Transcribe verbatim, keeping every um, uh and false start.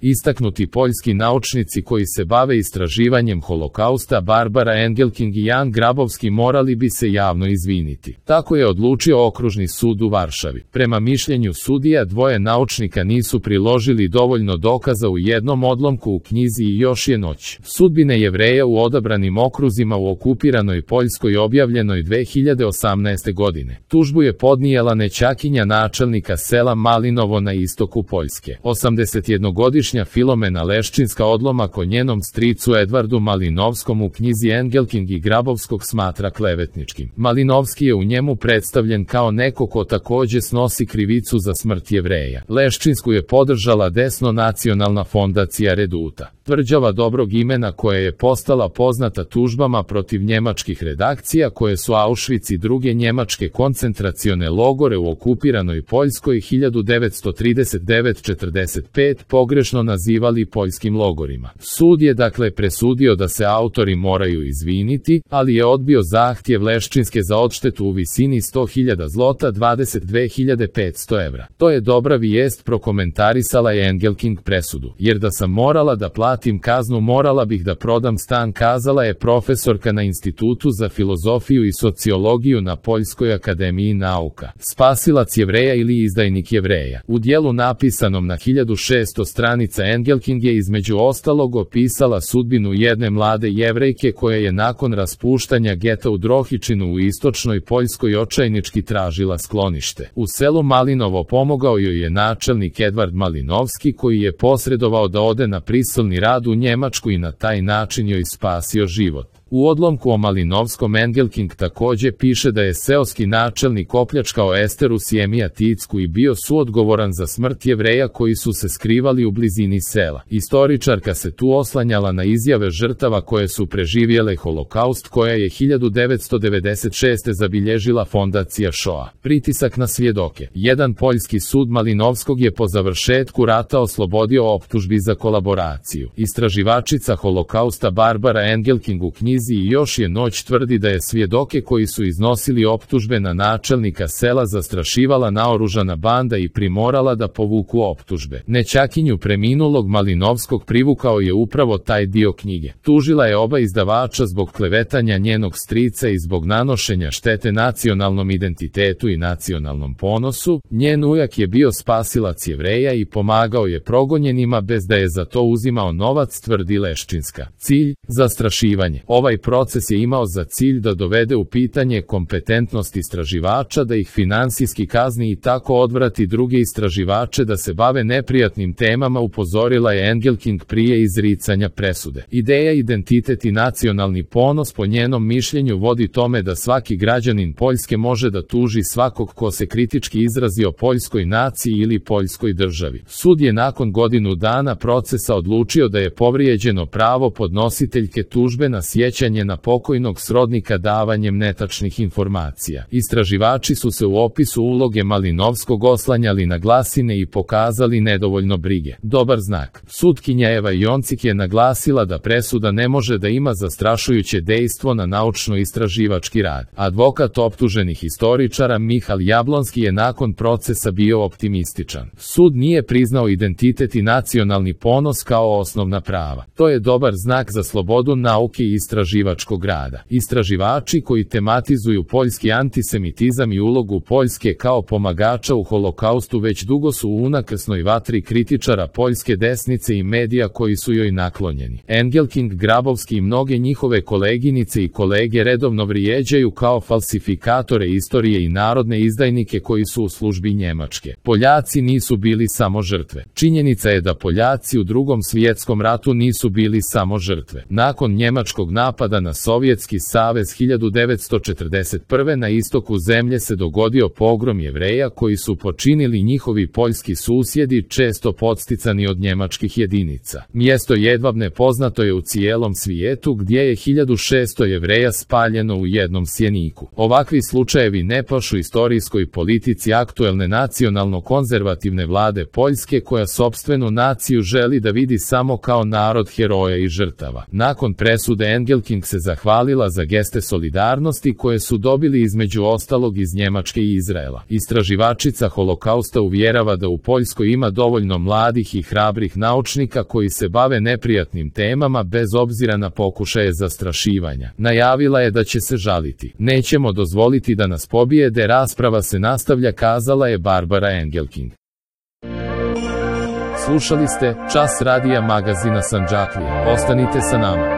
Istaknuti poljski naučnici koji se bave istraživanjem holokausta Barbara Engelking i Jan Grabowski morali bi se javno izviniti. Tako je odlučio Okružni sud u Varšavi. Prema mišljenju sudija, dvoje naučnika nisu priložili dovoljno dokaza u jednom odlomku u knjizi I još je noć. Sudbine Jevreja u odabranim okruzima u okupiranoj Poljskoj objavljenoj dve hiljade osamnaeste. godine. Tužbu je podnijela nećakinja načelnika sela Malinovo na istoku Poljske. osamdesetjednogodišnja Filomena Leščinska odlomak o njenom stricu Edvardu Malinovskom u knjizi Engelking i Grabowskog smatra klevetničkim. Malinovski je u njemu predstavljen kao neko ko takođe snosi krivicu za smrt Jevreja. Leščinsku je podržala desno nacionalna fondacija Reduta, tvrđava dobrog imena koja je postala poznata tužbama protiv njemačkih redakcija koje su Auschwitz i druge njemačke koncentracione logore u okupiranoj Poljskoj hiljadu devetsto trideset devet do četrdeset pet pogrešno nazivali poljskim logorima. Sud je dakle presudio da se autori moraju izviniti, ali je odbio zahtjev Leščinske za odštetu u visini sto hiljada zlota, dvadeset dve hiljade petsto evra. To je dobra vijest, prokomentarisala je Engelking presudu, jer da sam morala da platim kaznu morala bih da prodam stan, kazala je profesorka na Institutu za filozofiju i sociologiju na Poljskoj akademiji nauka. Spasilac Jevreja ili izdajnik Jevreja. U dijelu napisanom na hiljadu šesto stranica Engelking je između ostalog opisala sudbinu jedne mlade Jevrejke koja je nakon raspuštanja geta u Drohičinu u istočnoj Poljskoj očajnički tražila sklonište. U selu Malinovo pomogao joj je načelnik Edvard Malinovski koji je posredovao da ode na prisilni rad u Njemačku i na taj način joj spasio život. U odlomku o Malinovskom Engelking takođe piše da je seoski načelnik opljačkao Esteru Sjemija Ticku i bio suodgovoran za smrt Jevreja koji su se skrivali u blizini sela. Istoričarka se tu oslanjala na izjave žrtava koje su preživjele holokaust koja je hiljadu devetsto devedeset šeste. zabilježila fondacija Shoah. Pritisak na svjedoke. Jedan poljski sud Malinovskog je po završetku rata oslobodio optužbi za kolaboraciju. Istraživačica holokausta Barbara Engelking u knjizi I još je noć tvrdi da je svjedoke koji su iznosili optužbe na načelnika sela zastrašivala naoružana banda i primorala da povuku optužbe. Nećakinju preminulog Malinovskog privukao je upravo taj dio knjige. Tužila je oba izdavača zbog klevetanja njenog strica i zbog nanošenja štete nacionalnom identitetu i nacionalnom ponosu. Njen ujak je bio spasilac Jevreja i pomagao je progonjenima bez da je za to uzimao novac, tvrdi Leščinska. Cilj: zastrašivanje. Ovaj proces je imao za cilj da dovede u pitanje kompetentnost istraživača, da ih finansijski kazni i tako odvrati druge istraživače da se bave neprijatnim temama, upozorila je Engelking prije izricanja presude. Ideja identitet i nacionalni ponos po njenom mišljenju vodi tome da svaki građanin Poljske može da tuži svakog ko se kritički izrazi o poljskoj naciji ili poljskoj državi. Sud je nakon godinu dana procesa odlučio da je povrijeđeno pravo podnositeljke tužbe na sjećanje na pokojnog srodnika davanjem netačnih informacija. Istraživači su se u opisu uloge Malinovskog oslanjali na glasine i pokazali nedovoljno brige. Dobar znak. Sutkinja Eva Joncik je naglasila da presuda ne može da ima zastrašujuće dejstvo na naučno-istraživački rad. Advokat optuženih istoričara Michal Jablonski je nakon procesa bio optimističan. Sud nije priznao identitet i nacionalni ponos kao osnovna prava. To je dobar znak za slobodu nauke i istraživačkog rada. Istraživači koji tematizuju poljski antisemitizam i ulogu Poljske kao pomagača u holokaustu već dugo su u unakrsnoj vatri kritičara poljske desnice i medija koji su joj naklonjeni. Engelking, Grabowski i mnoge njihove koleginice i kolege redovno vrijeđaju kao falsifikatore istorije i narodne izdajnike koji su u službi Njemačke. Poljaci nisu bili samo žrtve. Činjenica je da Poljaci u Drugom svjetskom ratu nisu bili samo žrtve. Nakon njemačkog napada na Sovjetski savez hiljadu devetsto četrdeset prve. na istoku zemlje se dogodio pogrom Jevreja koji su počinili njihovi poljski susjedi, često podsticani od njemačkih jedinica. Mjesto Jedvabne poznato je u cijelom svijetu gdje je hiljadu šesto Jevreja spaljeno u jednom sjeniku. Ovakvi slučajevi ne pašu istorijskoj politici aktuelne nacionalno-konzervativne vlade Poljske koja sopstvenu naciju želi da vidi samo kao narod heroja i žrtava. Nakon presude Engel Engelking se zahvalila za geste solidarnosti koje su dobili između ostalog iz Njemačke i Izraela. Istraživačica holokausta uvjerava da u Poljskoj ima dovoljno mladih i hrabrih naučnika koji se bave neprijatnim temama bez obzira na pokušaje zastrašivanja. Najavila je da će se žaliti. Nećemo dozvoliti da nas pobijede, rasprava se nastavlja, kazala je Barbara Engelking. Slušali ste Čas radija magazina Sandžaklije. Ostanite sa nama.